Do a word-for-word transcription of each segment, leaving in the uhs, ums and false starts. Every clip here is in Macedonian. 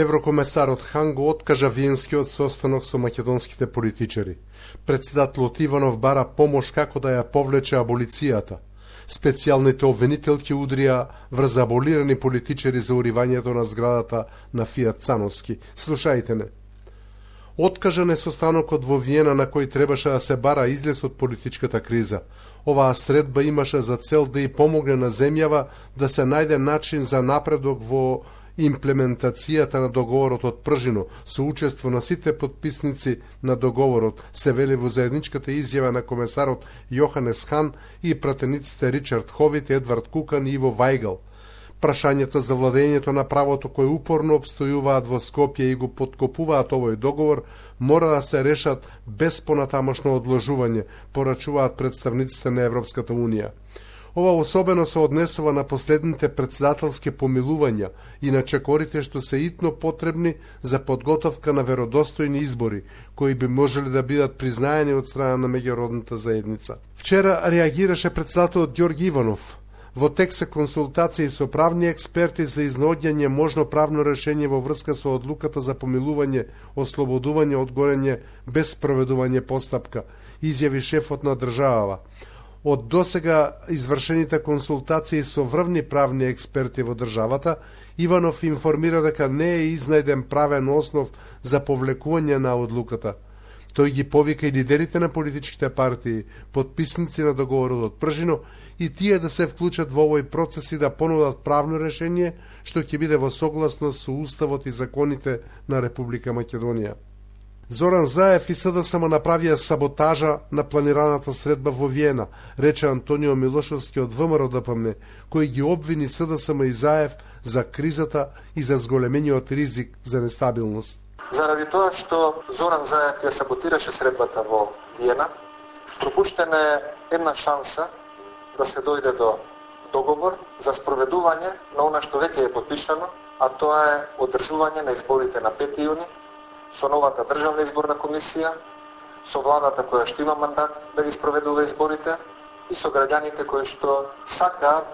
Еврокомесарот Хан го откажа виенскиот состанок со македонските политичари. Председателот Иванов бара помош како да ја повлече аболицијата. Специјалните обвинителки удрија врз аболирани политичари за уривањето на зградата на Фијат Цановски. Слушајте не. Откажан е состанокот во Виена на кој требаше да се бара излез од политичката криза. Оваа средба имаше за цел да и помогне на земјава да се најде начин за напредок во имплементацијата на договорот од Пржино со учество на сите подписници на договорот, се вели во заедничката изјава на комесарот Јоханес Хан и пратениците Ричард Ховит, Едвард Кукан и Иво Вајгал. Прашањето за владењето на правото кои упорно обстојуваат во Скопје и го подкопуваат овој договор мора да се решат без понатамошно одложување, порачуваат представниците на Европската Унија. Ова особено се однесува на последните председателски помилувања и на чекорите што се итно потребни за подготовка на веродостојни избори, кои би можели да бидат признаени од страна на меѓународната заедница. Вчера реагираше председателот Ѓорги Иванов. Во тек се консултации со правни експерти за изнаоѓање можно правно решение во врска со одлуката за помилување, ослободување од гонење без проведување постапка, изјави шефот на државава. Од досега извршените консултации со врвни правни експерти во државата, Иванов информира дека не е изнајден правен основ за повлекување на одлуката. Тој ги повика и лидерите на политичките партии, подписници на договорот од Пржино, и тие да се вклучат во овој процес и да понудат правно решение што ќе биде во согласност со уставот и законите на Република Македонија. Зоран Заев и СДСМ направија саботажа на планираната средба во Виена, рече Антонио Милошовски од ВМРО-ДПМН, кој ги обвини СДСМ и Заев за кризата и за зголемениот ризик за нестабилност. Заради тоа што Зоран Заев ја саботираше средбата во Виена, пропуштена е една шанса да се дојде до договор за спроведување на она што веќе е подпишано, а тоа е одржување на изборите на пети јуни со новата државна изборна комисија, со владата која што има мандат да ги спроведува изборите и со граѓаните кои што сакаат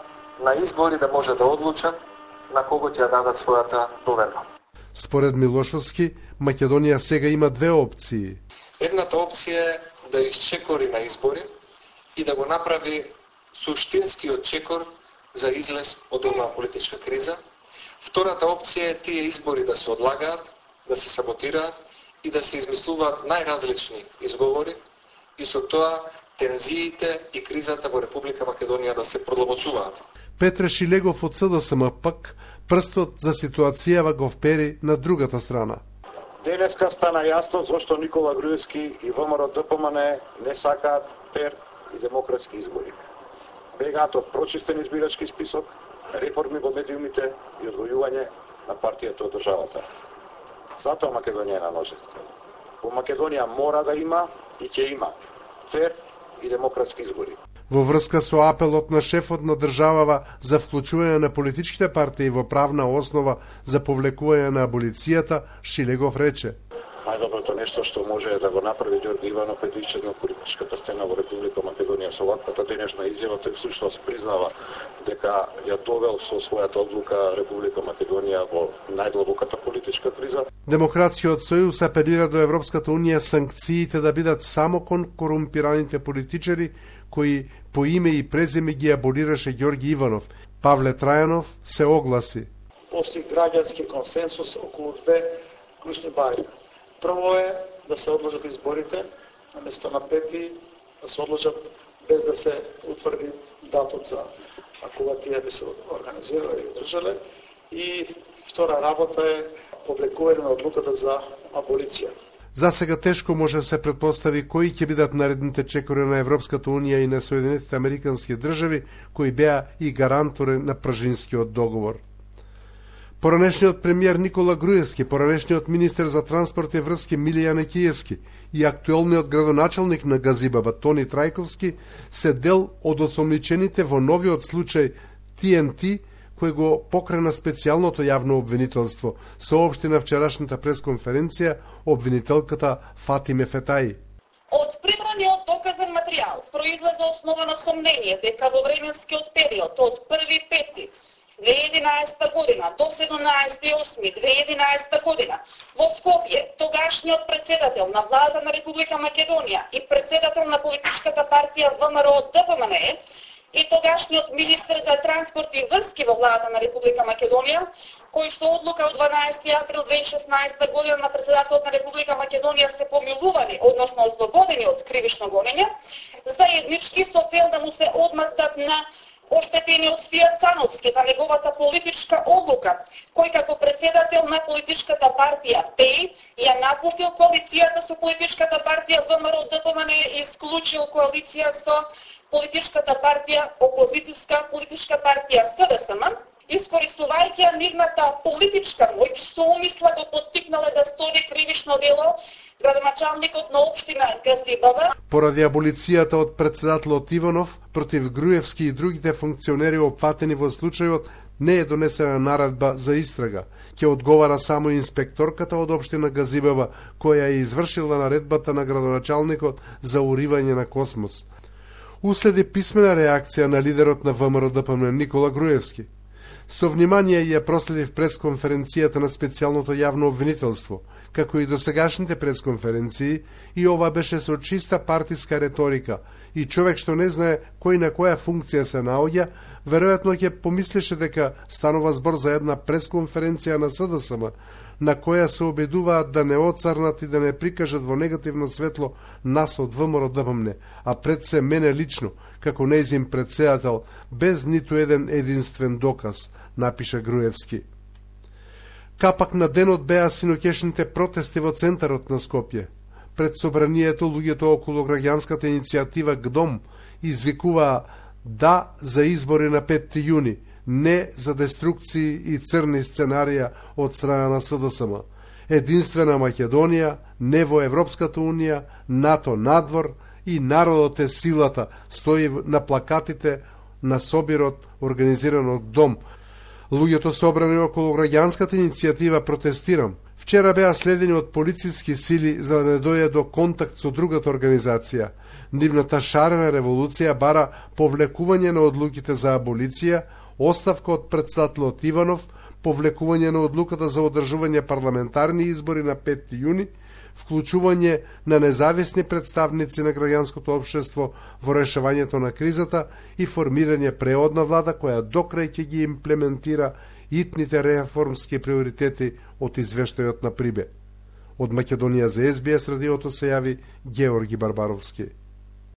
на избори да може да одлучат на кого ќе ја дадат својата доверба. Според Милошовски, Македонија сега има две опции. Едната опција е да исчекори на избори и да го направи суштинскиот чекор за излез од оваа политичка криза. Втората опција е тие избори да се одлагаат, да се саботираат и да се измислуваат најразлични изговори и со тоа тензиите и кризата во Република Македонија да се продлабочуваат. Петре Шилегов од СДСМ пак прстот за ситуацијава го впери на другата страна. Денеска стана јасно зошто Никола Груевски и ВМРО-ДПМН не сакаат фер и демократски избори. Бегаат од прочистен избирачки список, реформи во медиумите и одвојување на партијата од државата. Затоа Македонија е на ножет. Во Македонија мора да има и ќе има фер и демократски избори. Во врска со апелот на шефот на државава за вклучување на политичките партии во правна основа за повлекување на аболицијата, Шилегов рече: Најдоброто нешто што може да го направи Ѓорги Иванов е да исчезне од политичката сцена во Република Македонија. Со ваквата денешна изјава тој всушност признава дека ја довел со својата одлука Република Македонија во најдлабоката политичка криза. Демократскиот сојуз апелира до Европската Унија санкциите да бидат само кон корумпираните политичари кои по име и презиме ги аболираше Ѓорги Иванов. Павле Трајанов се огласи: Постои граѓански консенсус околу две клучни бари. Прво е да се одложат изборите, наместо на пети да се одложат без да се утврди датум за кога тие би се организирале и одржале. И втора работа е повлекување на одлуката за аболиција. За сега тешко може да се претпостави кои ќе бидат наредните чекори на Европската Унија и на Соединетите Американски држави, кои беа и гарантори на Пржинскиот договор. Поранешниот премиер Никола Груевски, поранешниот министер за транспорт и врски Милија Некиевски и актуелниот градоначалник на Газибаба Тони Трајковски се дел од осомничените во новиот случај Ти Ен Ти, кој го покрена специјалното јавно обвинителство, соопшти на вчерашната пресконференција обвинителката Фатиме Фетаи. Од прибраниот доказен материјал произлезе основано сомнение дека во временскиот период од први пети две илјади и единаесета година до седумнаесети осми две илјади и единаесета година во Скопје тогашниот председател на владата на Република Македонија и председател на политичката партија ВМРО Д П М Н и тогашниот министер за транспорт и врски во владата на Република Македонија, кои што одлука од дванаесети април две илјади и шеснаесета година на председателот на Република Македонија се помилувани, односно ослободени од кривично гонење, заеднички со цел да му се одмаздат на оштетениот Фијат Цановски за неговата политичка одлука, кој како председател на политичката партија П И ја напустил коалицијата со политичката партија ВМРО Д П М Н и исклучил коалиција со политичката партија, опозицијска политичка партија С Д С М, искористувајќи ја нивната политичка моќ, со умисла го поттикнале да стори кривишно дело градоначалникот на општина Газибава. Поради аболицијата од председателот Иванов против Груевски и другите функционери опфатени во случајот не е донесена наредба за истрага. Ќе одговара само инспекторката од општина Газибава, која е извршила наредбата на градоначалникот за уривање на Космос. Уследи писмена реакција на лидерот на ВМРО Д П М Н Никола Груевски. Со внимание ја проследив пресконференцијата на специјалното јавно обвинителство, како и досегашните пресконференции, и ова беше со чиста партиска реторика, и човек што не знае кој на која функција се наоѓа, веројатно ќе помислеше дека станува збор за една пресконференција на С Д С М, на која се обидуваат да не оцрнат и да не прикажат во негативно светло нас од ВМРО Д П М Н, а пред се мене лично, како нејзин председател, без ниту еден единствен доказ, напиша Груевски. Капак на денот беа синоќешните протести во центарот на Скопје. Пред собранието луѓето околу граѓанската иницијатива Г Д О М извикуваа да за избори на петти јуни, не за деструкции и црни сценарија од страна на С Д С М. Единствена Македонија, не во Европската унија, НАТО надвор и народот е силата, стои на плакатите на собирот организиран од Г Д О М. Луѓето собрани околу граѓанската иницијатива Протестирам вчера беа следени од полициски сили за да не дојде до контакт со другата организација. Нивната шарена револуција бара повлекување на одлуките за аболиција, оставка од председателот Иванов, повлекување на одлуката за одржување парламентарни избори на петти јуни, вклучување на независни представници на граѓанското општество во решавањето на кризата и формирање преодна влада која докрај ќе ги имплементира итните реформски приоритети од извештајот на Прибе. Од Македонија за С Б С радиото се јави Георги Барбаровски.